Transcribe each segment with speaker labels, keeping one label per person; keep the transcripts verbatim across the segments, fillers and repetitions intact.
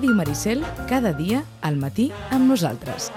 Speaker 1: Ràdio Maricel, cada dia, al matí, amb nosaltres.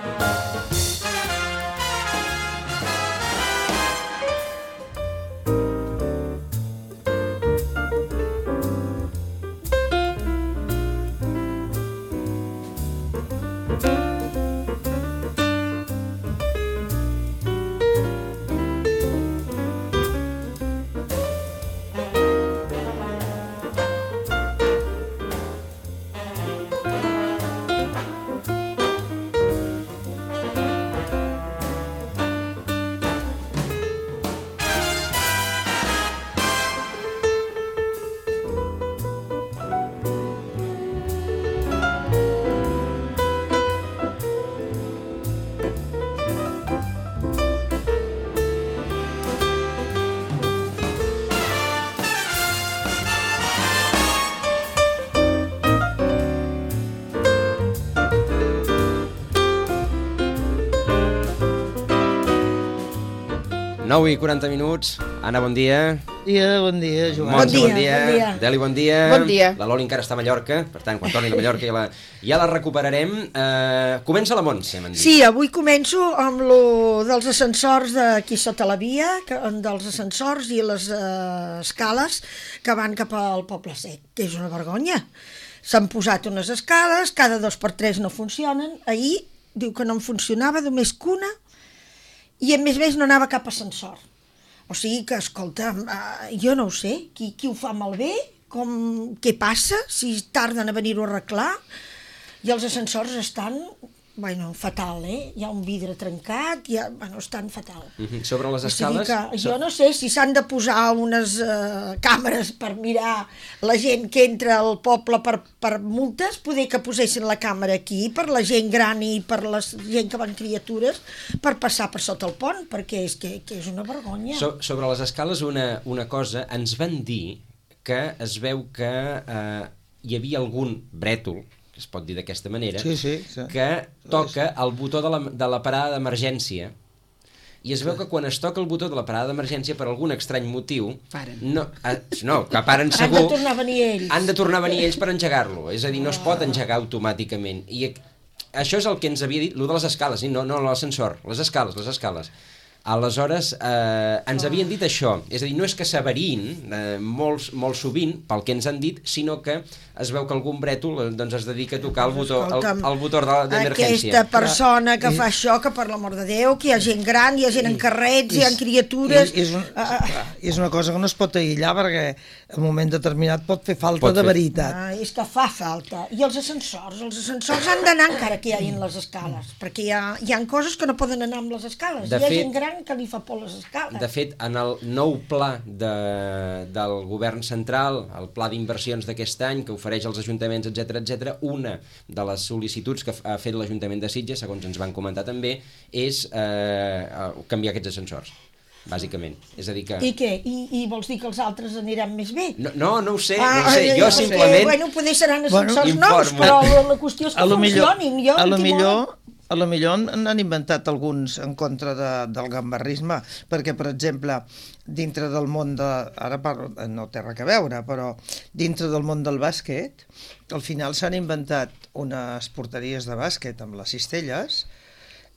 Speaker 2: nou i quaranta minuts. Anna, bon dia.
Speaker 3: Dia, bon dia, Joan.
Speaker 2: Montse,
Speaker 4: bon,
Speaker 2: bon
Speaker 4: dia,
Speaker 2: dia.
Speaker 4: bon dia.
Speaker 2: Deli, bon dia.
Speaker 4: Bon dia.
Speaker 2: La Loli encara està a Mallorca, per tant, quan torni a Mallorca ja la, ja la recuperarem. Uh, comença la Montse, m'han dit.
Speaker 4: Sí, avui començo amb lo dels ascensors d'aquí sota la via, que, dels ascensors i les uh, escales que van cap al Poble Sec, que és una vergonya. S'han posat unes escales, cada dos per tres no funcionen. Ahir diu que no en funcionava, només que una, i a més a més no anava cap ascensor. O sigui que, escolta, uh, jo no ho sé, qui, qui ho fa malbé, com, què passa, si tarden a venir-ho a arreglar, i els ascensors estan, bueno, fatal, eh? Hi ha un vidre trencat, ja, bueno, estan fatal.
Speaker 2: Uh-huh. Sobre les
Speaker 4: O sigui
Speaker 2: escales...
Speaker 4: que, jo no sé si s'han de posar unes uh, càmeres per mirar la gent que entra al poble per, per multes, poder que posessin la càmera aquí per la gent gran i per la gent que van criatures per passar per sota el pont, perquè és que, que és una vergonya.
Speaker 2: So, sobre les escales, una, una cosa, ens van dir que es veu que eh, hi havia algun brètol, es pot dir d'aquesta manera,
Speaker 3: sí, sí, sí.
Speaker 2: que toca el botó de la, de la parada d'emergència, i es veu que quan es toca el botó de la parada d'emergència, per algun estrany motiu...
Speaker 5: Paren.
Speaker 2: No, eh, no, que paren segur...
Speaker 4: Han de tornar a venir ells.
Speaker 2: Han de tornar a venir ells per engegar-lo, és a dir, no es pot engegar automàticament. I això és el que ens havia dit, el de les escales, no, no l'ascensor, les escales, les escales. Aleshores, eh, ens oh. havien dit això, és a dir, no és que s'averin eh, molt, molt sovint, pel que ens han dit, sinó que es veu que algun brètol eh, doncs es dedica a tocar el botó, el, el botó d'emergència.
Speaker 4: Aquesta persona que fa això, que per l'amor de Déu, que hi ha gent gran, hi ha gent en carrets, hi ha criatures...
Speaker 3: És, és, un, uh, és una cosa que no es pot aïllar perquè en un moment determinat pot fer falta pot de fer. veritat.
Speaker 4: Ah, és que fa falta. I els ascensors, els ascensors han d'anar encara que hi hagin les escales, perquè hi ha, hi ha coses que no poden anar amb les escales.
Speaker 2: De
Speaker 4: hi ha
Speaker 2: fet,
Speaker 4: gent gran que li fa por les escales.
Speaker 2: De fet, en el nou pla de, del govern central, el pla d'inversions d'aquest any, que ofereix als ajuntaments, etcètera, etcètera, una de les sol·licituds que ha fet l'Ajuntament de Sitges, segons ens van comentar també, és eh, canviar aquests ascensors, bàsicament. És a dir que...
Speaker 4: I què? I, I vols dir que els altres aniran més bé?
Speaker 2: No, no, no ho sé,
Speaker 4: ah,
Speaker 2: no ho sé.
Speaker 4: Eh,
Speaker 2: jo simplement...
Speaker 4: Eh, bueno, poder seran ascensors
Speaker 2: bueno,
Speaker 4: nous, però la, la qüestió és que funcionin. Jo
Speaker 3: a lo millor... A lo millor n'han inventat alguns en contra de, del gambarrisme, perquè, per exemple, dintre del món de... Ara parlo, no té res a veure, però dintre del món del bàsquet, al final s'han inventat unes porteries de bàsquet amb les cistelles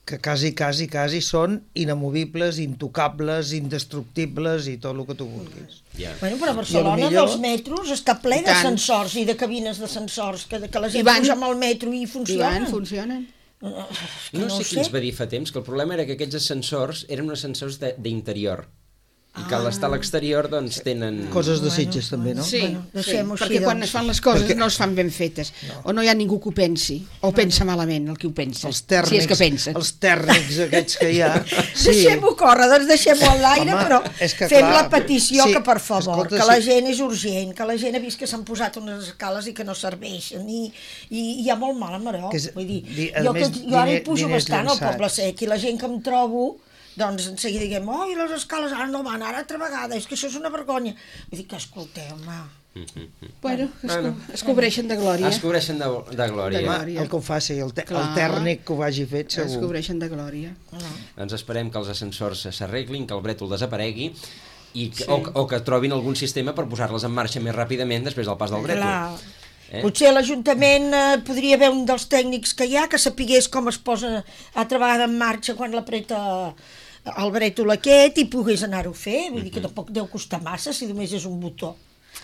Speaker 3: que quasi, quasi, quasi són inamovibles, intocables, indestructibles i tot el que tu vulguis.
Speaker 2: Yeah.
Speaker 4: Bueno, però a Barcelona millor... dels metros està ple d'ascensors i de cabines d'ascensors, que, que la gent van... puja amb el metro i funcionen.
Speaker 5: I van, funcionen.
Speaker 2: No, no sé qui ens va dir fa temps que el problema era que aquests ascensors eren uns ascensors d'interior i que ah. l'estar a l'exterior doncs tenen...
Speaker 3: Coses de Sitges bueno, també, no?
Speaker 5: Sí,
Speaker 4: bueno,
Speaker 5: sí
Speaker 4: així,
Speaker 5: perquè
Speaker 4: doncs.
Speaker 5: quan es fan les coses
Speaker 3: perquè...
Speaker 5: no es fan ben fetes,
Speaker 3: no.
Speaker 5: o no hi ha ningú que ho pensi, o no. pensa malament el que ho pensa,
Speaker 3: els tèrnics,
Speaker 5: si és que pensa.
Speaker 3: Els tèrnics aquests que hi ha...
Speaker 4: Sí. Deixem-ho córrer, doncs deixem-ho a l'aire, però
Speaker 3: que,
Speaker 4: fem
Speaker 3: clar,
Speaker 4: la petició
Speaker 3: sí,
Speaker 4: que, per favor,
Speaker 3: escolta,
Speaker 4: que la
Speaker 3: sí.
Speaker 4: gent és urgent, que la gent ha vist que s'han posat unes escales i que no serveixen, i, i hi ha molt mal a Maró.
Speaker 3: És,
Speaker 4: Vull dir,
Speaker 3: di,
Speaker 4: jo,
Speaker 3: més,
Speaker 4: que, jo ara hi pujo
Speaker 3: diners
Speaker 4: bastant
Speaker 3: llançats.
Speaker 4: al Poble Sec, i la gent que em trobo... doncs en seguida diguem, oh, i les escales ara no van, ara altra vegada, és que això és una vergonya. Vull dir que, escolteu, home...
Speaker 5: Bueno, es, co es cobreixen de glòria.
Speaker 2: Es cobreixen de, de glòria.
Speaker 5: De glòria.
Speaker 3: El que ho faci, el, te el tèrnic que ho hagi fet, segur.
Speaker 5: Es cobreixen de glòria.
Speaker 4: No.
Speaker 2: Doncs esperem que els ascensors s'arreglin, que el brètol desaparegui, i que, sí. o, o que trobin algun sistema per posar-les en marxa més ràpidament després del pas del brètol.
Speaker 4: Clar.
Speaker 2: Eh?
Speaker 4: Potser a l'Ajuntament eh, podria haver un dels tècnics que hi ha que sapigués com es posa altra vegada en marxa quan l'apreta el brètol aquest i pogués anar-ho a fer. Vull dir que tampoc deu costar massa si només és un botó.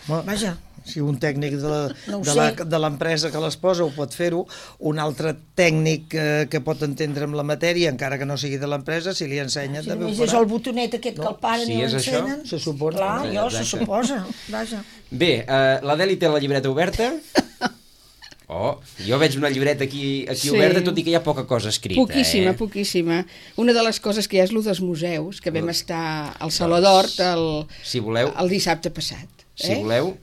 Speaker 3: Bueno,
Speaker 4: Vaja.
Speaker 3: Si un tècnic de la-
Speaker 4: No ho
Speaker 3: de la-
Speaker 4: sé.
Speaker 3: de l'empresa que les posa ho pot fer-ho, un altre tècnic eh, que pot entendre amb la matèria, encara que no sigui de l'empresa, si li ensenya...
Speaker 4: Si
Speaker 3: també ho
Speaker 4: només és
Speaker 3: farà.
Speaker 4: el botonet aquest que el paren
Speaker 2: Si
Speaker 4: i
Speaker 2: és això,
Speaker 4: l'encenen.
Speaker 3: se supone.
Speaker 4: Clar, jo se
Speaker 2: Exacte.
Speaker 4: suposa. Vaja.
Speaker 2: Bé, uh, l'Adeli té la llibreta oberta. Oh, jo veig una llibreta aquí, aquí
Speaker 5: Sí.
Speaker 2: oberta, tot i que hi ha poca cosa escrita.
Speaker 5: Poquísima,
Speaker 2: eh?
Speaker 5: poquíssima. Una de les coses que hi ha és el dels museus, que vam estar al Saló d'Hort el,
Speaker 2: Si voleu,
Speaker 5: el dissabte passat.
Speaker 2: si
Speaker 5: Eh?
Speaker 2: voleu...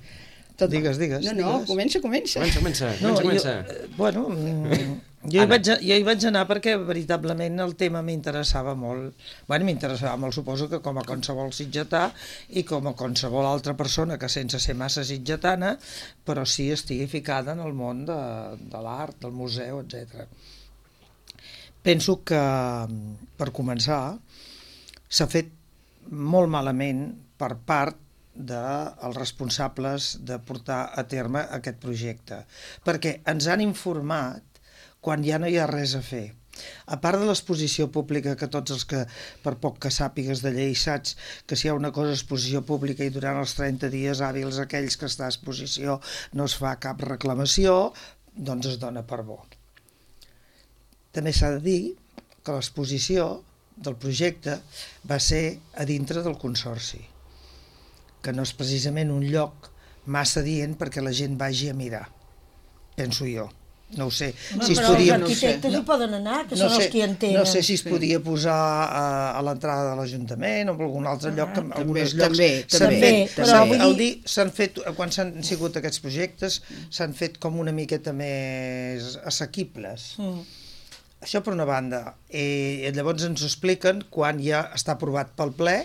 Speaker 5: Tot...
Speaker 3: Digues, digues,
Speaker 5: No, no,
Speaker 3: digues.
Speaker 5: comença, comença.
Speaker 2: Comença, comença,
Speaker 3: No,
Speaker 2: comença,
Speaker 3: jo,
Speaker 2: comença.
Speaker 3: eh, bueno, mm, jo, hi
Speaker 2: Anna.
Speaker 3: vaig, jo hi vaig anar perquè veritablement el tema m'interessava molt. Bueno, m'interessava molt, suposo que com a qualsevol sitgetà i com a qualsevol altra persona que sense ser massa sitgetana, però sí estigui ficada en el món de, de l'art, del museu, etcètera. Penso que, per començar, s'ha fet molt malament per part dels responsables de portar a terme aquest projecte, perquè ens han informat quan ja no hi ha res a fer. A part de l'exposició pública, que tots els que, per poc que sàpigues de llei, saps que si hi ha una cosa exposició pública i durant els trenta dies hàbils aquells que està a exposició no es fa cap reclamació, doncs es dona per bo. També s'ha de dir que l'exposició del projecte va ser a dintre del Consorci, que no és precisament un lloc massa dient perquè la gent vagi a mirar, penso jo. No ho sé.
Speaker 4: Home,
Speaker 3: si es
Speaker 4: però
Speaker 3: podia...
Speaker 4: els arquitectes hi poden anar, que
Speaker 3: no
Speaker 4: són
Speaker 3: sé,
Speaker 4: els que hi entenen.
Speaker 3: no sé si es podia posar a, a l'entrada de l'Ajuntament o en algun altre lloc, que en
Speaker 5: també,
Speaker 3: alguns llocs
Speaker 5: també,
Speaker 3: s'han
Speaker 5: també,
Speaker 3: fet,
Speaker 4: també.
Speaker 3: s'han-
Speaker 4: Però vull
Speaker 3: el
Speaker 4: dir-
Speaker 3: dir, s'han fet, quan s'han sigut aquests projectes, s'han fet com una miqueta més assequibles.
Speaker 4: Mm.
Speaker 3: Això per una banda. I llavors ens ho expliquen quan ja està aprovat pel ple,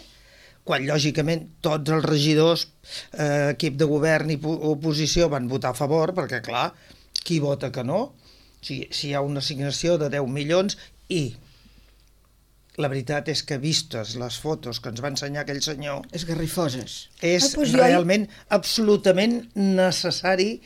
Speaker 3: quan lògicament tots els regidors, eh, equip de govern i po- oposició van votar a favor, perquè clar, qui vota que no? Si, si hi ha una assignació de deu milions i la veritat és que vistes les fotos que ens va ensenyar aquell senyor,
Speaker 5: Esgarrifoses.
Speaker 3: és
Speaker 4: Ah, doncs jo-
Speaker 3: realment absolutament necessari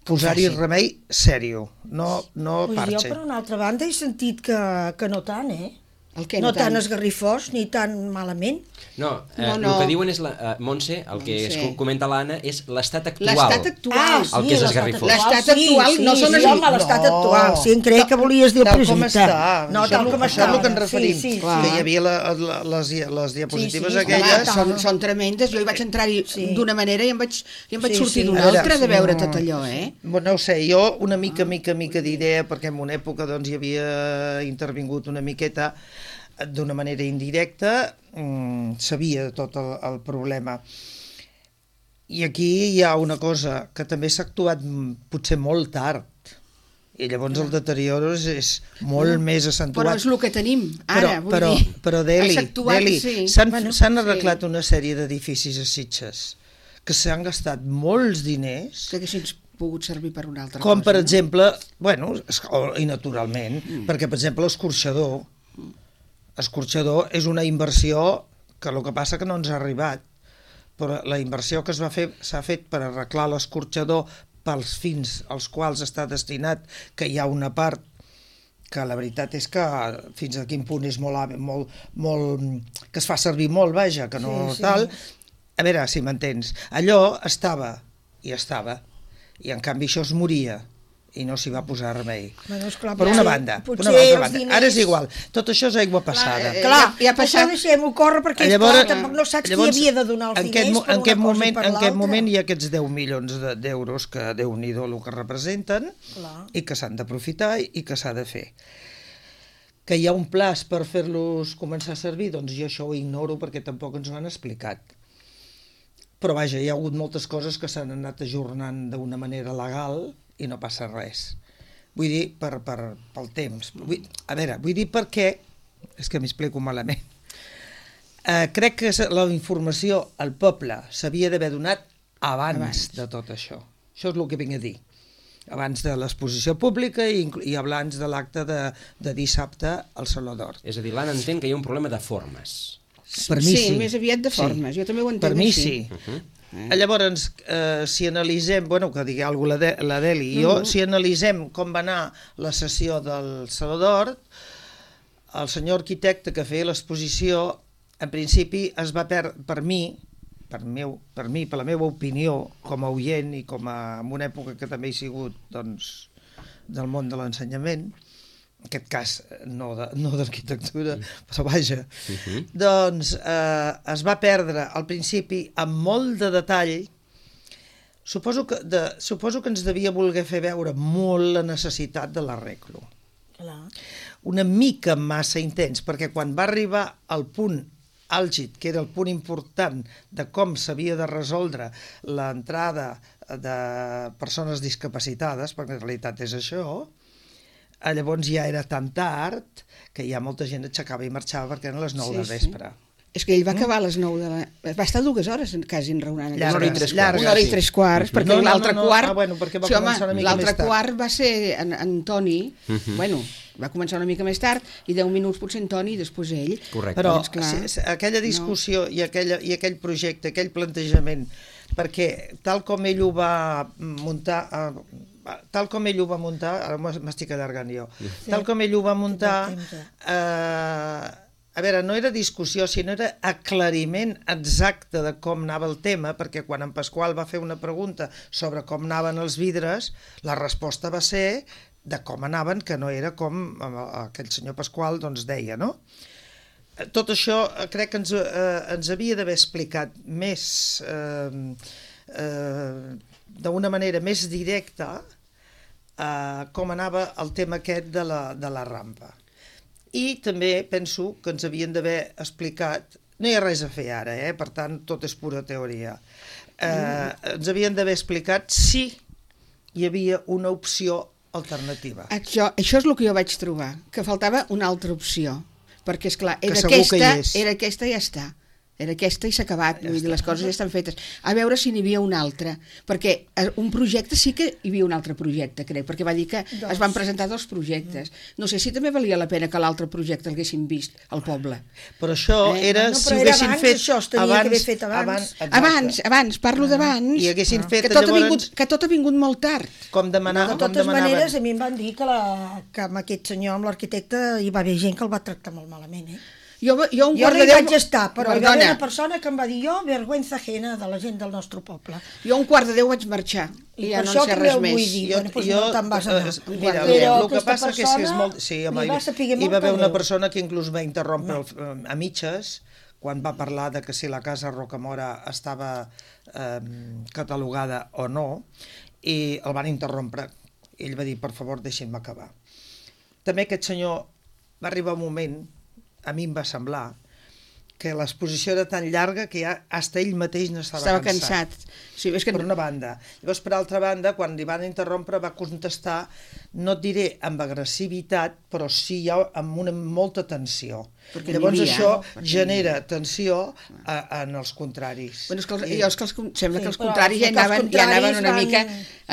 Speaker 3: posar-hi
Speaker 5: Faci.
Speaker 3: remei sèrio, no, no
Speaker 4: Pues
Speaker 3: parche.
Speaker 4: jo, per una altra banda, he sentit que, que no tant, eh?
Speaker 5: El què,
Speaker 4: no
Speaker 5: no
Speaker 4: tan
Speaker 5: tant?
Speaker 4: esgarrifós ni tan malament.
Speaker 2: No, eh,
Speaker 5: No, no.
Speaker 2: el que diuen és, la, uh, Montse, el que es
Speaker 5: Montse.
Speaker 2: comenta l'Anna, és l'estat actual.
Speaker 5: L'estat actual.
Speaker 4: Ah,
Speaker 2: El que és
Speaker 4: l'estat
Speaker 2: esgarrifós.
Speaker 4: actual,
Speaker 5: L'estat actual
Speaker 4: sí,
Speaker 5: no
Speaker 4: sí,
Speaker 5: són
Speaker 4: sí,
Speaker 5: les-
Speaker 4: home, l'estat
Speaker 3: No.
Speaker 4: actual. Sí, em creia que volies dir el
Speaker 3: Tal
Speaker 4: projecte.
Speaker 3: com està.
Speaker 4: No,
Speaker 3: Això
Speaker 4: tal
Speaker 3: és
Speaker 4: com
Speaker 3: el-
Speaker 4: està.
Speaker 3: Això és el que ens referim.
Speaker 4: Sí, sí,
Speaker 5: Clar.
Speaker 3: Que hi havia la, la, les, dia- les diapositives
Speaker 4: Sí, sí,
Speaker 3: aquelles.
Speaker 4: clar.
Speaker 5: Són, són tremendes. Jo hi vaig entrar-hi
Speaker 4: Sí.
Speaker 5: d'una manera i em vaig, i em vaig
Speaker 4: Sí,
Speaker 5: sortir
Speaker 4: sí.
Speaker 5: d'una
Speaker 3: A veure,
Speaker 5: altra de
Speaker 3: sí,
Speaker 5: veure
Speaker 3: no.
Speaker 5: tot allò, eh?
Speaker 3: Bueno, no ho sé, jo una mica, mica, mica d'idea, perquè en una època doncs, hi havia intervingut una miqueta d'una manera indirecta, mmm, sabia tot el, el problema. I aquí hi ha una cosa, que també s'ha actuat mm, potser molt tard, i llavors el deterioro és, és molt més accentuat.
Speaker 5: Però és el que tenim ara,
Speaker 3: però,
Speaker 5: vull
Speaker 3: però,
Speaker 5: dir.
Speaker 3: però Deli,
Speaker 5: Has actuat,
Speaker 3: Deli
Speaker 5: sí.
Speaker 3: s'han
Speaker 5: Bueno,
Speaker 3: s'han
Speaker 5: sí.
Speaker 3: arreglat una sèrie d'edificis a Sitges que s'han gastat molts diners,
Speaker 5: Que haguessin pogut servir per una altra
Speaker 3: com
Speaker 5: cosa.
Speaker 3: per
Speaker 5: no?
Speaker 3: exemple, bueno, es- o- i naturalment, mm. perquè per exemple l'escorxador, l'escorxador és una inversió que el que passa que no ens ha arribat, però la inversió que es va fer s'ha fet per arreglar l'escorxador pels fins als quals està destinat, que hi ha una part que la veritat és que fins a quin punt és molt, hàbil, molt, molt que es fa servir molt, vaja, que no
Speaker 4: Sí, sí.
Speaker 3: tal. A veure, si m'entens, allò estava i estava, i en canvi això es moria i no s'hi va posar remei.
Speaker 4: Bueno, esclar,
Speaker 3: Per
Speaker 4: potser-
Speaker 3: una banda, per
Speaker 4: potser
Speaker 3: una altra
Speaker 4: els
Speaker 3: banda.
Speaker 4: diners-
Speaker 3: Ara és igual, tot això és aigua passada.
Speaker 5: eh,
Speaker 4: Clar,
Speaker 5: ja- ja ha
Speaker 4: això
Speaker 5: passat.
Speaker 4: deixem-ho córrer perquè
Speaker 3: Llavors,
Speaker 4: és clar, tampoc no saps
Speaker 3: llavors,
Speaker 4: qui havia de donar els
Speaker 3: en
Speaker 4: diners
Speaker 3: aquest, mo-
Speaker 4: per
Speaker 3: en
Speaker 4: una
Speaker 3: aquest
Speaker 4: cosa
Speaker 3: moment,
Speaker 4: i per
Speaker 3: en
Speaker 4: l'altra.
Speaker 3: aquest moment hi ha aquests deu milions de- d'euros que Déu-n'hi-do el que representen
Speaker 4: Clar.
Speaker 3: i que s'han d'aprofitar i que s'ha de fer. Que hi ha un plaç per fer-los començar a servir, doncs jo això ho ignoro perquè tampoc ens ho han explicat. Però vaja, hi ha hagut moltes coses que s'han anat ajornant d'una manera legal i no passa res. Vull dir, per, per, pel temps. Vull, a veure, vull dir perquè, és que m'explico malament, eh, crec que la informació al poble s'havia d'haver donat abans,
Speaker 5: Abans.
Speaker 3: de tot això. Això és el que vinc a dir. Abans de l'exposició pública i, inclu- i abans de l'acte de, de dissabte al Saló d'Hort.
Speaker 2: És a dir, l'Anna entén que hi ha un problema de formes.
Speaker 3: Per mi
Speaker 5: sí,
Speaker 3: sí.
Speaker 5: més aviat de formes. Jo també ho entenc
Speaker 3: Per mi
Speaker 5: així.
Speaker 3: sí.
Speaker 5: Eh?
Speaker 3: Llavors, eh, si analitzem, bueno, que digui alguna cosa la Deli, jo,
Speaker 5: Mm-hmm.
Speaker 3: si analitzem com va anar la sessió del Saló d'Or, el senyor arquitecte que feia l'exposició, en principi es va perdre, per mi, per, meu, per mi, per la meva opinió, com a oient i com a, en una època que també he sigut, doncs, del món de l'ensenyament, en aquest cas no de- no d'arquitectura, però vaja,
Speaker 2: Mhm.
Speaker 3: doncs eh, es va perdre al principi amb molt de detall. Suposo que, de, suposo que ens devia voler fer veure molt la necessitat de l'arreglo.
Speaker 4: Clar.
Speaker 3: Una mica massa intens, perquè quan va arribar al punt àlgid, que era el punt important de com s'havia de resoldre l'entrada de persones discapacitades, perquè en realitat és això, eh, llavors ja era tan tard que ja molta gent aixecava i marxava perquè eren les nou
Speaker 5: Sí,
Speaker 3: del
Speaker 5: sí.
Speaker 3: vespre.
Speaker 5: És que ell va acabar a les nou de la... Va estar dues hores quasi enraonant.
Speaker 3: Llargues,
Speaker 2: Una hora i tres quarts.
Speaker 3: llargues.
Speaker 5: Una hora i
Speaker 2: sí.
Speaker 5: tres quarts, perquè
Speaker 3: No, no,
Speaker 5: l'altre
Speaker 3: no, no.
Speaker 5: quart...
Speaker 3: Ah, bueno, perquè va
Speaker 5: sí, home,
Speaker 3: començar una mica
Speaker 5: l'altre
Speaker 3: més tard.
Speaker 5: quart va ser en, en Toni, bueno, va començar una mica més tard, i deu minuts potser en Toni i després ell.
Speaker 2: Correcte.
Speaker 3: Però
Speaker 5: Doncs, clar,
Speaker 3: si, si, aquella discussió no. i, aquella, i aquell projecte, aquell plantejament, perquè tal com ell ho va muntar... Eh, tal com ell ho va muntar, ara m'estic allargant jo, sí. tal com ell ho va muntar, eh, a veure, no era discussió, sinó era aclariment exacte de com anava el tema, perquè quan en Pasqual va fer una pregunta sobre com anaven els vidres, la resposta va ser de com anaven, que no era com aquell senyor Pasqual doncs, deia, no? Tot això crec que ens, eh, ens havia d'haver explicat més, eh, eh, d'una manera més directa, eh, com anava el tema aquest de la, de la rampa. I també penso que ens havien d'haver explicat, no hi ha res a fer ara, eh? Per tant, tot és pura teoria, eh, mm. ens havien d'haver explicat si hi havia una opció alternativa.
Speaker 5: Això, això és el que jo vaig trobar, que faltava una altra opció, perquè, esclar,
Speaker 3: Que
Speaker 5: era
Speaker 3: segur que
Speaker 5: aquesta,
Speaker 3: hi és.
Speaker 5: era aquesta i ja està. Era aquesta i s'ha acabat, ja vull dir, les coses ja estan fetes. A veure si n'hi havia una altra, perquè un projecte sí que hi havia un altre projecte, crec, perquè va dir que
Speaker 4: Dos.
Speaker 5: es van presentar dos projectes. No sé si també valia la pena que l'altre projecte l'haguessin vist al poble.
Speaker 3: Però això
Speaker 5: Eh,
Speaker 3: era,
Speaker 4: no,
Speaker 3: si
Speaker 4: però
Speaker 3: ho
Speaker 4: era
Speaker 3: haguessin
Speaker 4: abans,
Speaker 3: fet
Speaker 4: això es tenia que haver fet abans.
Speaker 3: exacte.
Speaker 5: Abans, abans, parlo d'abans,
Speaker 3: I haguessin fet
Speaker 5: que, tot ha
Speaker 3: llavors,
Speaker 5: vingut, que tot ha vingut molt tard.
Speaker 3: com demanar,
Speaker 4: De
Speaker 3: com
Speaker 4: totes
Speaker 3: demanaven.
Speaker 4: maneres, a mi em van dir que, la, que amb aquest senyor, amb l'arquitecte, hi va haver gent que el va tractar molt malament, eh?
Speaker 5: Jo, jo, un
Speaker 4: Jo
Speaker 5: quart
Speaker 4: no
Speaker 5: de
Speaker 4: hi
Speaker 5: deu...
Speaker 4: vaig estar, però hi va haver
Speaker 5: Perdona,
Speaker 4: una persona que em va dir jo, vergüenza ajena de la gent del nostre poble.
Speaker 5: jo un quart de deu vaig marxar
Speaker 4: I
Speaker 5: i ja
Speaker 4: per
Speaker 5: no
Speaker 4: això
Speaker 5: en sé
Speaker 4: també
Speaker 5: res
Speaker 4: ho vull
Speaker 5: més.
Speaker 4: dir.
Speaker 3: Jo,
Speaker 4: Bueno, doncs
Speaker 3: jo,
Speaker 4: no te'n vas anar.
Speaker 3: eh, mira,
Speaker 4: Però
Speaker 3: el que
Speaker 4: aquesta
Speaker 3: passa que és que és molt... Sí,
Speaker 4: persona
Speaker 3: home,
Speaker 4: li va saber
Speaker 3: hi
Speaker 4: molt
Speaker 3: va haver una
Speaker 4: greu.
Speaker 3: persona que inclús va interrompre el, a mitges quan va parlar de que si la casa Rocamora estava eh, catalogada o no, i el van interrompre. Ell va dir, per favor, deixin-me acabar. També aquest senyor va arribar un moment, a mi em va semblar, que l'exposició era tan llarga que ja hasta ell mateix n'estava
Speaker 5: Estava
Speaker 3: cansat.
Speaker 5: cansat. Sí, és que...
Speaker 3: Per una banda. Llavors, per altra banda, quan li van interrompre, va contestar, no et diré amb agressivitat, però sí ja amb una molta tensió.
Speaker 5: Perquè n'hi
Speaker 3: Llavors
Speaker 5: havia,
Speaker 3: això
Speaker 5: perquè-
Speaker 3: genera tensió a, en els contraris.
Speaker 5: Bueno, és que els,
Speaker 3: I-
Speaker 5: jo és que els, sembla
Speaker 4: Sí,
Speaker 5: que els
Speaker 4: però
Speaker 5: contraris ja
Speaker 4: és que els
Speaker 5: anaven, ja anaven
Speaker 4: contraris
Speaker 5: una
Speaker 4: van-
Speaker 5: mica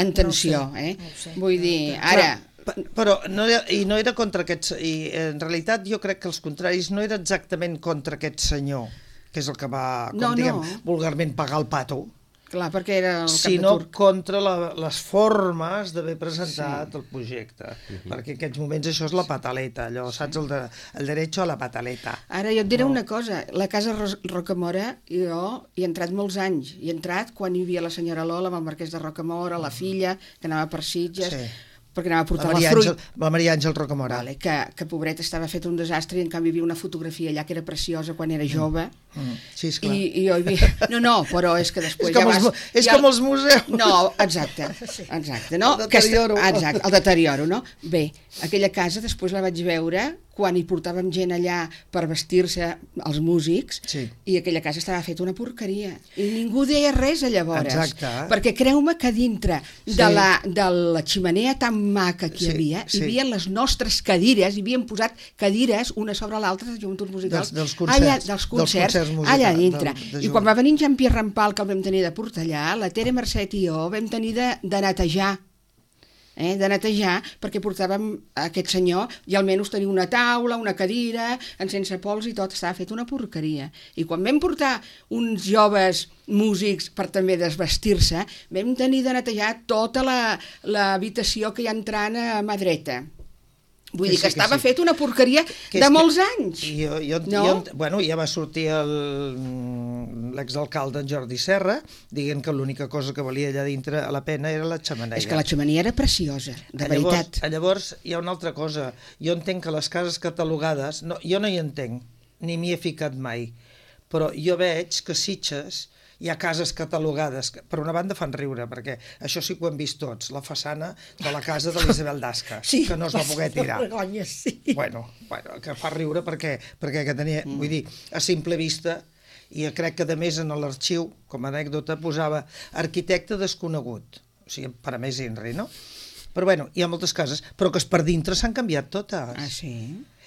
Speaker 5: en
Speaker 4: no
Speaker 5: tensió,
Speaker 4: ho sé,
Speaker 5: eh?
Speaker 4: no ho sé.
Speaker 5: Vull dir, ara...
Speaker 3: Però, però no era, i no era contra aquests... I en realitat jo crec que els contraris no era exactament contra aquest senyor, que és el que va, com
Speaker 5: No,
Speaker 3: diguem,
Speaker 5: no.
Speaker 3: vulgarment pagar el pato,
Speaker 5: Clar, perquè era el cap
Speaker 3: sinó
Speaker 5: de turc.
Speaker 3: contra la, les formes d'haver presentat sí. el projecte. Perquè en aquests moments això és la pataleta, allò, saps, el, de, el derecho a la pataleta.
Speaker 5: Ara jo et diré
Speaker 3: No.
Speaker 5: una cosa, la casa Ros- Rocamora, jo hi he entrat molts anys, hi he entrat quan hi havia la senyora Lola amb el marquès de Rocamora, la filla, que anava per Sitges,
Speaker 3: Sí.
Speaker 5: perquè anava a
Speaker 3: La
Speaker 5: portar la,
Speaker 3: Maria,
Speaker 5: fruita.
Speaker 3: Àngel, la Maria Àngel Rocamora.
Speaker 5: Vale, que, que pobret estava fet un desastre i en canvi hi havia una fotografia allà que era preciosa quan era jove.
Speaker 3: Mm, sí, esclar.
Speaker 5: I, i jo hi havia... No, no, però és que després
Speaker 3: És com
Speaker 5: ja
Speaker 3: els
Speaker 5: vas...
Speaker 3: mu- és
Speaker 5: ja...
Speaker 3: com els museus.
Speaker 5: No, exacte, exacte. No?
Speaker 3: El
Speaker 5: Que est-
Speaker 3: deterioro.
Speaker 5: Exacte, el deterioro, no? Bé, aquella casa després la vaig veure quan hi portàvem gent allà per vestir-se els músics,
Speaker 3: Sí.
Speaker 5: i aquella casa estava feta una porqueria. I ningú deia res a llavors.
Speaker 3: Exacte.
Speaker 5: Perquè creu-me que dintre
Speaker 3: Sí.
Speaker 5: de, la, de la ximenea tan maca que hi
Speaker 3: Sí,
Speaker 5: havia,
Speaker 3: sí.
Speaker 5: hi havia les nostres cadires, hi havien posat cadires una sobre l'altra de joventuts musicals.
Speaker 3: Dels- dels concerts,
Speaker 5: allà,
Speaker 3: dels
Speaker 5: dels concerts,
Speaker 3: concerts musicals,
Speaker 5: allà dintre.
Speaker 3: del- de
Speaker 5: I
Speaker 3: jove.
Speaker 5: quan va venir en Jean-Pierre Rampal, que el vam tenir de portar allà, la Tere Mercet i jo vam tenir de, de netejar eh, de netejar, perquè portàvem aquest senyor i almenys tenia una taula, una cadira, en sense pols i tot, estava fet una porqueria. I quan vam portar uns joves músics per també desvestir-se, vam tenir de netejar tota l'habitació que hi ha entrant a mà dreta. Vull dir que, sí, que estava sí. fet una porqueria que de molts que... anys.
Speaker 3: Jo, jo,
Speaker 5: no?
Speaker 3: jo, bueno, ja va sortir l'exalcalde en Jordi Serra dient que l'única cosa que valia allà dintre a la pena era la xemeneia.
Speaker 5: És que la xemeneia era preciosa, de
Speaker 3: llavors,
Speaker 5: veritat.
Speaker 3: Llavors hi ha una altra cosa. Jo entenc que les cases catalogades, no, jo no hi entenc, ni m'hi he ficat mai, però jo veig que Sitges hi ha cases catalogades, que per una banda fan riure, perquè això sí que ho hem vist tots, la façana de la casa de l'Isabel d'Asca,
Speaker 4: sí,
Speaker 3: que no es va poder tirar.
Speaker 4: Vergonya, sí.
Speaker 3: Bueno, bueno, que fa riure perquè, perquè que tenia, mm. vull dir, a simple vista, i crec que a més en l'arxiu, com a anècdota, posava arquitecte desconegut, o sigui, per a més Inri, no? Però bueno, hi ha moltes cases, però que per dintre s'han canviat totes.
Speaker 5: Ah, sí?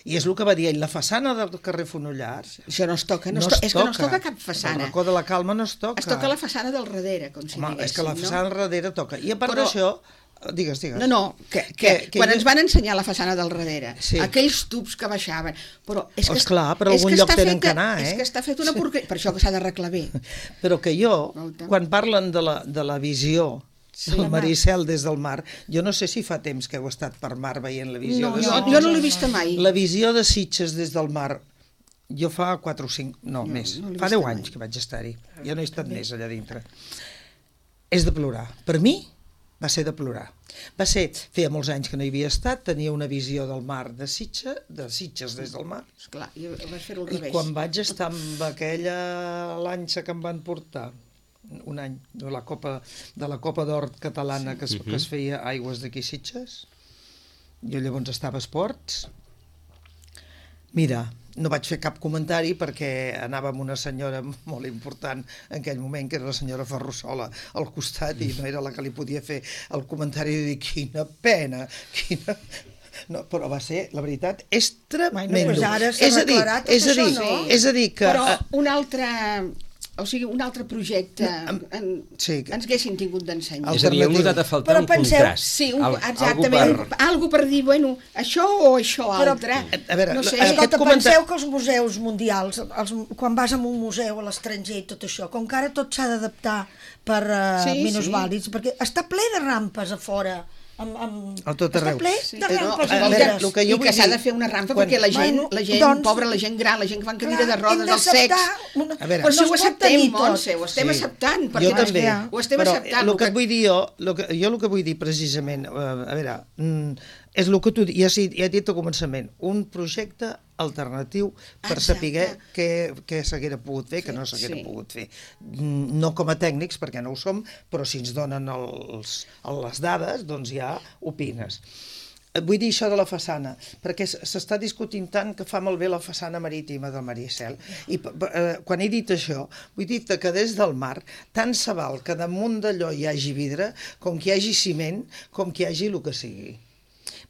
Speaker 3: I és el que va dir ell, la façana del carrer Fonollars...
Speaker 5: Això no es toca, no,
Speaker 3: no
Speaker 5: es to
Speaker 3: es
Speaker 5: és que no es
Speaker 3: toca.
Speaker 5: toca cap façana.
Speaker 3: El racó de la Calma no es toca.
Speaker 5: Es toca la façana del darrere, com si
Speaker 3: Home,
Speaker 5: diguéssim,
Speaker 3: és que la façana
Speaker 5: no?
Speaker 3: del darrere toca. I a part
Speaker 5: Però...
Speaker 3: d'això... Digues, digues.
Speaker 5: No, no, que, que,
Speaker 3: que, que
Speaker 5: quan
Speaker 3: jo...
Speaker 5: ens van ensenyar la façana del darrere,
Speaker 3: sí.
Speaker 5: aquells tubs que baixaven... Però és que,
Speaker 3: Esclar, per algun lloc tenen que anar, eh?
Speaker 5: És que està fet una porqueria, per això que s'ha d'arreglar bé.
Speaker 3: Però que jo,
Speaker 5: Volta.
Speaker 3: quan parlen de la, de la visió... Sí, el Maricel des del mar. Jo no sé si fa temps que heu estat per mar veient la visió
Speaker 5: no,
Speaker 3: de
Speaker 5: jo,
Speaker 3: Sitges.
Speaker 5: jo no l'he vista mai.
Speaker 3: La visió de Sitges des del mar, jo fa quatre o cinc, no,
Speaker 5: no
Speaker 3: més,
Speaker 5: no
Speaker 3: fa deu
Speaker 5: mai.
Speaker 3: anys que vaig estar-hi. Jo no he estat més allà dintre. És de plorar. Per mi va ser de plorar. Va ser, feia molts anys que no hi havia estat, tenia una visió del mar de Sitges, de Sitges des del mar.
Speaker 5: Esclar, jo vaig fer-ho al
Speaker 3: I
Speaker 5: revés.
Speaker 3: quan vaig estar amb aquella lanxa que em van portar, un any, de la Copa de la Copa d'Or catalana que es, que es feia a Aigües d'aquí Sitges, jo llavors estava a esports, mira, no vaig fer cap comentari perquè anava amb una senyora molt important en aquell moment, que era la senyora Ferrusola al costat, i no era la que li podia fer el comentari de dir quina pena, quina... No, però va ser, la veritat, és tremendo.
Speaker 4: Pues ara s'ha
Speaker 3: és a dir,
Speaker 4: declarat
Speaker 3: és a dir,
Speaker 4: això, no?
Speaker 3: és a dir que...
Speaker 5: Però un altre... O sigui, un altre projecte en,
Speaker 3: sí,
Speaker 5: ens haguessin tingut d'ensenyar.
Speaker 2: És a dir, heu notat a faltar
Speaker 4: Però
Speaker 2: un
Speaker 4: penseu-
Speaker 2: contrast.
Speaker 5: Sí, un,
Speaker 2: Al-
Speaker 5: exactament.
Speaker 2: algú per-
Speaker 5: Algo per dir, bueno, això o això
Speaker 4: Però-
Speaker 5: altre.
Speaker 3: A veure,
Speaker 5: no sé.
Speaker 3: la-
Speaker 4: Escolta,
Speaker 3: Aquest comentar-
Speaker 4: penseu que els museus mundials, els, quan vas a un museu a l'estranger i tot això, com que ara tot s'ha d'adaptar per uh,
Speaker 5: Sí,
Speaker 4: minusvàlids, perquè està ple de rampes a fora, amb, amb...
Speaker 3: A tot arreu.
Speaker 4: Està ple
Speaker 5: Sí.
Speaker 4: de
Speaker 5: Eh, no,
Speaker 4: rampes.
Speaker 5: a
Speaker 3: a
Speaker 5: veure,
Speaker 4: lliures.
Speaker 3: el que jo
Speaker 5: I
Speaker 3: vull
Speaker 5: que s'ha
Speaker 3: dir-
Speaker 5: de fer una rampa
Speaker 3: quan-
Speaker 5: perquè la gent,
Speaker 4: Bueno,
Speaker 5: la gent
Speaker 4: doncs-
Speaker 5: pobra, la gent gran, la gent que va en cadira
Speaker 4: Clar,
Speaker 5: de rodes,
Speaker 4: hem
Speaker 5: els cecs...
Speaker 4: d'acceptar una-
Speaker 3: A veure,
Speaker 5: Però si
Speaker 4: no
Speaker 5: ho
Speaker 4: es pot
Speaker 5: acceptem,
Speaker 4: tenir tot.
Speaker 5: Montse, ho estem
Speaker 3: Sí.
Speaker 5: acceptant.
Speaker 3: Jo
Speaker 5: perquè
Speaker 3: també,
Speaker 5: ho estem
Speaker 3: però
Speaker 5: acceptant.
Speaker 3: el que et vull dir jo, el que, jo el que vull dir precisament, eh, a veure, mm, és el que tu ja, ja he dit al començament, un projecte alternatiu per
Speaker 5: Exacte.
Speaker 3: saber què, què s'haguera pogut fer, que no s'haguera
Speaker 5: sí.
Speaker 3: pogut fer. Mm, No com a tècnics, perquè no ho som, però si ens donen els, les dades, doncs ja opines. Vull dir això de la façana, perquè s'està discutint tant que fa molt bé la façana marítima del Maricel. I eh, quan he dit això, vull dir que des del mar tant se val que damunt d'allò hi hagi vidre, com que hi hagi ciment, com que hi hagi el que sigui.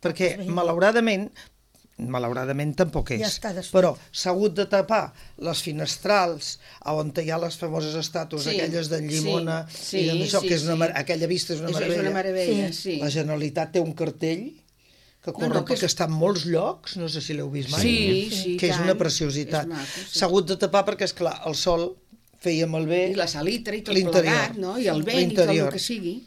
Speaker 3: Perquè, malauradament, malauradament tampoc és,
Speaker 4: Ja està desfet.
Speaker 3: però s'ha hagut de tapar les finestrals on hi ha les famoses estàtues,
Speaker 5: Sí,
Speaker 3: aquelles d'en Llimona,
Speaker 5: sí,
Speaker 3: i d'això,
Speaker 5: sí,
Speaker 3: que és una,
Speaker 5: sí.
Speaker 3: mar- aquella vista és una
Speaker 5: És, és
Speaker 3: meravella.
Speaker 5: una meravella,
Speaker 4: Sí.
Speaker 5: sí.
Speaker 3: La Generalitat té un cartell que corre,
Speaker 5: No, no, que
Speaker 3: perquè
Speaker 5: és-
Speaker 3: està en molts llocs, no sé si l'heu vist mai,
Speaker 5: Sí, sí,
Speaker 3: que és
Speaker 5: tant.
Speaker 3: una preciositat.
Speaker 5: És maco, sí.
Speaker 3: S'ha hagut de tapar perquè, és clar, el sol feia malbé
Speaker 5: I la salitra i tot
Speaker 3: l'interior.
Speaker 5: plegat, no? I el vent i tot el
Speaker 3: L'interior.
Speaker 5: que sigui.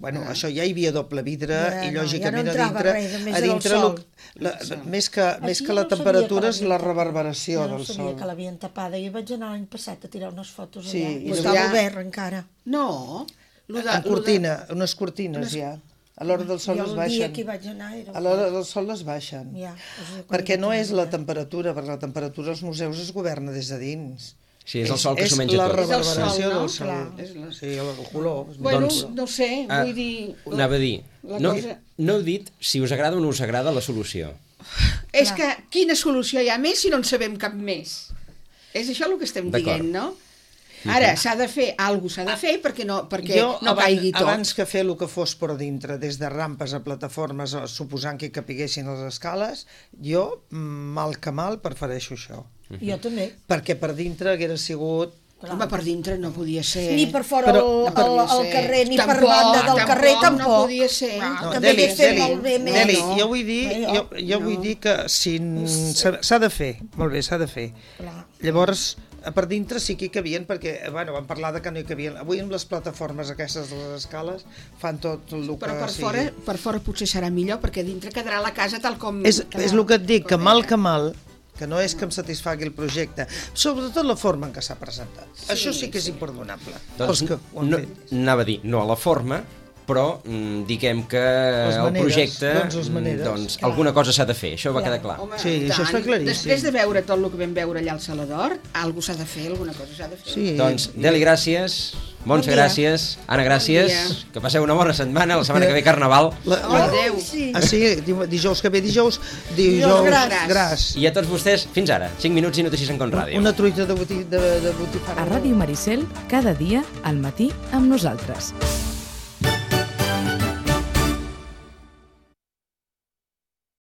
Speaker 3: Bueno, això ja hi havia doble vidre
Speaker 4: Ja,
Speaker 3: i
Speaker 4: no,
Speaker 3: lògicament
Speaker 4: ja no
Speaker 3: a
Speaker 4: entrava
Speaker 3: dintre,
Speaker 4: res, només
Speaker 3: a
Speaker 4: era el
Speaker 3: dintre
Speaker 4: sol.
Speaker 3: lo- la, més que, més
Speaker 4: Aquí
Speaker 3: que
Speaker 4: jo
Speaker 3: la
Speaker 4: no sabia
Speaker 3: temperatura
Speaker 4: que
Speaker 3: és la
Speaker 4: l'havien-
Speaker 3: reverberació
Speaker 4: Jo no
Speaker 3: del
Speaker 4: sabia
Speaker 3: sol.
Speaker 4: que l'havien tapada. Jo vaig anar l'any passat a tirar unes fotos
Speaker 3: Sí,
Speaker 4: allà.
Speaker 3: i
Speaker 4: I
Speaker 3: doncs
Speaker 4: estava
Speaker 5: ja-
Speaker 4: obert encara.
Speaker 5: No. Lo de,
Speaker 3: En
Speaker 5: lo de-
Speaker 3: cortina, unes cortines
Speaker 5: unes-
Speaker 3: ja. A l'hora del sol
Speaker 4: Jo
Speaker 3: les
Speaker 4: el dia
Speaker 3: baixen.
Speaker 4: que hi vaig anar era...
Speaker 3: A l'hora del sol les baixen.
Speaker 4: Ja, o sigui, quan
Speaker 3: Perquè
Speaker 4: hi
Speaker 3: no
Speaker 4: vaig
Speaker 3: és
Speaker 4: anar,
Speaker 3: la
Speaker 4: ja.
Speaker 3: temperatura, perquè la temperatura als museus es governa des de dins.
Speaker 2: Sí, és el sol que s'ho menja
Speaker 3: És la
Speaker 2: tot.
Speaker 3: reverberació
Speaker 5: És el sol, no?
Speaker 3: del sol.
Speaker 5: Clar. És la-
Speaker 3: Sí, el, el color.
Speaker 5: Bueno,
Speaker 2: Doncs,
Speaker 5: no sé,
Speaker 2: Ah,
Speaker 5: vull dir...
Speaker 2: Anava a dir,
Speaker 5: la
Speaker 2: no,
Speaker 5: cosa-
Speaker 2: no heu dit si us agrada o no us agrada la solució.
Speaker 5: És que quina solució hi ha més si no en sabem cap més? És això el que estem
Speaker 2: D'acord.
Speaker 5: dient, no? Ara, s'ha de fer, alguna cosa s'ha de fer perquè no, perquè
Speaker 3: Jo,
Speaker 5: no
Speaker 3: abans,
Speaker 5: caigui tot.
Speaker 3: abans que fer el que fos per dintre, des de rampes a plataformes, o suposant que capiguessin les escales, jo, mal que mal, prefereixo això.
Speaker 4: Jo també.
Speaker 3: Perquè per dintre haguera sigut
Speaker 5: Home, per dintre no podia ser.
Speaker 4: Ni per fora
Speaker 3: Però-
Speaker 4: el,
Speaker 5: No podia
Speaker 4: el, el
Speaker 5: ser.
Speaker 4: carrer, ni per
Speaker 5: Tampoc,
Speaker 4: banda del
Speaker 5: tampoc,
Speaker 4: carrer,
Speaker 5: no
Speaker 4: tampoc.
Speaker 5: podia ser.
Speaker 4: Ah,
Speaker 3: No,
Speaker 4: també
Speaker 3: Deli,
Speaker 4: hagués fet
Speaker 3: Deli,
Speaker 4: molt bé més.
Speaker 3: Deli,
Speaker 5: no.
Speaker 3: jo vull dir,
Speaker 4: Eh,
Speaker 3: jo, jo
Speaker 5: no.
Speaker 3: vull dir que si n- s'ha s'ha de fer, molt bé, s'ha de fer.
Speaker 4: Clar.
Speaker 3: Llavors, a per dintre sí que hi cabien, perquè, bueno, vam parlar de que no hi cabien. Avui amb les plataformes aquestes de les escales fan tot el que
Speaker 5: Però per
Speaker 3: sigui.
Speaker 5: fora, per fora potser serà millor, perquè dintre quedarà la casa tal com...
Speaker 3: És,
Speaker 5: tal
Speaker 3: és el que et dic, que
Speaker 5: com
Speaker 3: mal
Speaker 5: era.
Speaker 3: que mal, que no és que em satisfagui el projecte, sobretot la forma en què s'ha presentat. Sí, Això sí que és imperdonable.
Speaker 2: Doncs
Speaker 3: Els que ho han
Speaker 2: no,
Speaker 3: fet.
Speaker 2: anava a dir, no a la forma, però mm, diguem que
Speaker 3: Les
Speaker 2: el
Speaker 3: maneres,
Speaker 2: projecte,
Speaker 3: doncs les maneres.
Speaker 2: mm, doncs
Speaker 4: Clar.
Speaker 2: alguna cosa s'ha de fer, això va
Speaker 4: Clar.
Speaker 2: quedar clar.
Speaker 5: Home,
Speaker 3: Sí,
Speaker 5: i
Speaker 3: això
Speaker 5: tant.
Speaker 3: està claríssim.
Speaker 5: Després de veure tot el que vam veure allà al Salador, alguna s'ha de fer, alguna cosa s'ha de fer.
Speaker 3: Sí,
Speaker 2: Doncs,
Speaker 3: i-
Speaker 2: Deli, gràcies. Montse,
Speaker 4: Bon dia.
Speaker 2: gràcies. Anna, gràcies.
Speaker 5: dia.
Speaker 2: Que passeu una bona setmana. La setmana que ve, Carnaval.
Speaker 3: La, la,
Speaker 5: Adéu.
Speaker 4: Sí.
Speaker 3: ah, sí, di- dijous que ve dijous, dijous,
Speaker 4: Dijous
Speaker 5: gras.
Speaker 3: gras.
Speaker 2: I a tots vostès, fins ara. cinc minuts i notícies en Con Ràdio.
Speaker 3: Una truita de, boti, de, de botifarra.
Speaker 1: A Ràdio Maricel, cada dia al matí amb nosaltres.